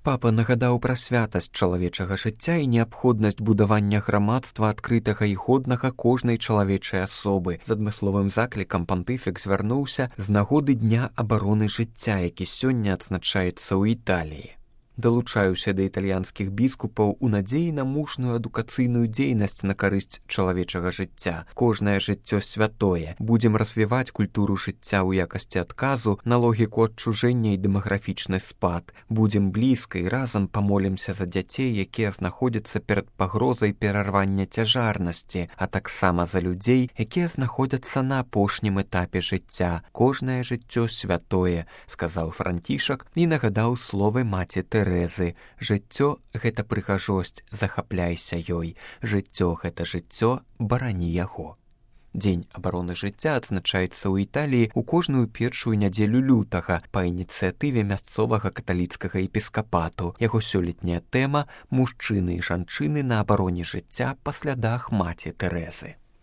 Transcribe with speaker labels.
Speaker 1: Папа нагадаў пра святасць чалавечага жыцця і неабходнасць будавання грамадства адкрытага і годнага кожнай чалавечай асобы. З адмысловым заклікам пантыфік звярнуўся з нагоды Дня абароны жыцця, які сёння адзначаецца ў Італіі. Далучаюся да італьянскіх біскупаў у надзеі на мужную адукацыйную дзейнасць на карысць чалавечага жыцця. Кожнае жыццё святое. Будзем развіваць культуру жыцця ў якасці адказу на логіку адчужэння і дэмаграфічны спад. Будзем блізка і разам памолімся за дзяцей, якія знаходзяцца перад пагрозай перарвання цяжарнасці, а таксама за людзей, якія знаходзяцца на апошнім этапе жыцця. Кожнае жыццё святое, сказаў Францішак і нагадаў словы маці Тэрэзы. Жыццё — гэта прыгажосць, захапляйся ёй. Жыццё — гэта жыццё, барані яго. Дзень абароны жыцця адзначаецца ў Італіі ў кожную першую нядзелю лютага па ініцыятыве мясцовага каталіцкага епіскапату. Яго сёлетняя тэма — мужчыны і жанчыны на абароне жыцця па слядах маці Тэрэзы.